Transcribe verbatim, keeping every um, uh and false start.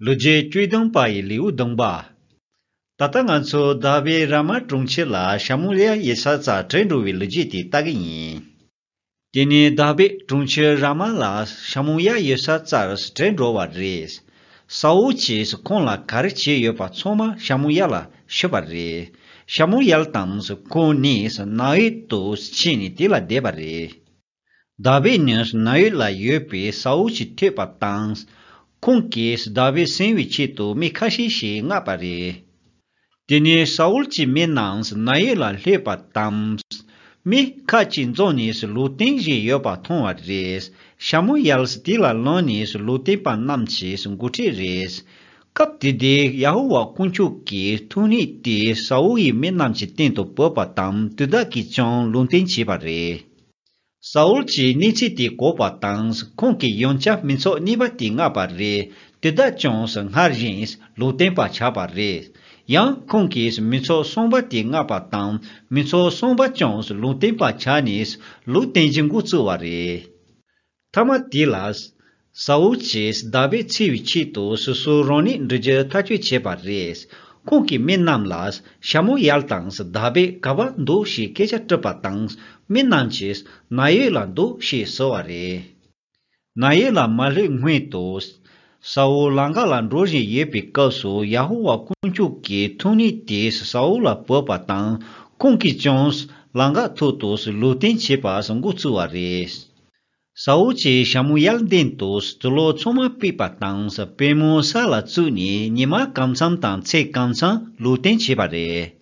ལོ་རྒྱུས་བཅུ་དང་པ་ཡི་ལེའུ་བདུན་པ། ད་ལྟ་ང་ཚོ་དཱ་བིད་ར་མ་གྲོང་ཁྱེར་ལ་ཤ་མུ་ཡལ་ཡོད་ས་རྩར་བྲོས་འགྲོ་བའི་ལོ་རྒྱུས་དེ་ལྟ་གི་ཡིན། དེ་ནས་དཱ་བིད་གྲོང་ཁྱེར་ར་མ་ལ་ཤ་མུ་ཡལ་ཡོད་ས་རྩར་བྲོས་འགྲོ་བ་རེད། ས་ཨུལ་གྱིས་ཁོང་ལ་ག་རེ་བྱས་ཡོད་པ་ཚང་མ་ཤ་མུ་ཡལ་ལ་ཞུས་པ་རེད། ཤ་མུ་ཡལ་དང་ཁོང་གཉིས་ན་ཡོད་དུ་ཕྱིན་ནས་དེ་ལ་བསྡད་པ་རེད། དཱ་བིད་ནི་ན་ཡོད་ལ་ཡོད་པའི་ས་ཨུལ་གྱིས་ཐོས་པ་དང་། ཁོང་གིས་དཱ་བིད་ཟིན་པའི་ཆེད་དུ་མི་ཁ་ཤས་ཤིག་མངགས་པ་རེད། དེ་ནས་ས་ཨུལ་གྱི་མི་རྣམས་ན་ཡོད་ལ་སླེབས་པ་དང་། མི་ཁ་ཅིག་འཛོམས་ནས་ལུང་བསྟན་བཞིན་ཡོད་པ་མཐོང་བ་རེད། ཤ་མུ་ཡལ་དེ་ལ་ལངས་ནས་ལུང་སྟོན་པ་རྣམས་ཀྱི་འགོ་ཁྲིད་རེད། སྐབས་དེ་དུས་ཡ་ཧོ་ཝཱ་དཀོན་མཆོག་གི་ཐུགས་ཉིད་དེ་ས་ཨུལ་ཡི་མི་རྣམས་ཀྱི་སྟེང་དུ་བབས་པ་དང་དེ་དག་གིས་ཀྱང་ལུང་བསྟན་བྱས་པ་རེད། ས་ཨུལ་གྱིས་གནས་ཚུལ་དེ་གོ་བ་དང་ཁོང་གིས་ཡང་བསྐྱར་མི་ཚོགས་གཉིས་པ་དེ་མངགས་པ་རེད། དེ་དག་ཀྱང་སྔར་བཞིན་ལུང་བསྟན་པ་ཆགས་པ་རེད། ཡང་ཁོང་གིས་མི་ཚོགས་གསུམ་པ་དེ་མངགས་པ་དང་མི་ཚོགས་གསུམ་པ་ཀྱང་ལུང་བསྟན་པ་ཆགས་ནས་ལུང་བསྟན་གྱི་འགོ་བཙུགས་པ་རེད། མཐའ་མ་དེ་ལ། ས་ཨུལ་གྱིས་དཱ་བིད་འཚོལ་བའི་ཆེད་དུ་སོ་སོ་རང་ཉིད་འགྲོ་རྒྱུ་ཐག་གཅོད་བྱས་པ་རེད། ཁོང་གིས་མི་རྣམས་ལ་ཤ་མུ་ཡལ་དང་དཱ་བིད་ག་པར་འདུག་ཞེས་སྐད་ཆ་དྲིས་པ་དང་མི་རྣམས་ཀྱིས་ན་ཡོད་ལ་འདུག་ཞེས་ཟེར་བ་རེད། ན་ཡོད་ལ་མ་སླེབས་སྔོན་དུ། ས་ཨུལ་ལམ་ཁ་ལ་འགྲོ་བཞིན་ཡོད་པའི་སྐབས་སུ་ཡ་ཧོ་ཝཱ་དཀོན་མཆོག་གི་ཐུགས་ཉིད་དེ་ས་ཨུལ་ལ་བབས་པ་དང་ཁོང་གིས་ཀྱང་ལམ་ཁ་ཐོག་ཏུ་ལུང་བསྟན་བྱེད་པ་འགོ་བཙུགས་པ་རེད། ས་ཨུལ་གྱིས་ཤ་མུ་ཡལ་མདུན་དུ་དུག་སློག་ཚང་མ་ཕུད་པ་དང་པུས་མོ་ས་ལ་བཙུགས་ནས་ཉི་མ་གང་འཚམ་དང་མཚན་གང་འཚམ་ལུང་བསྟན་བྱས་པ་རེད།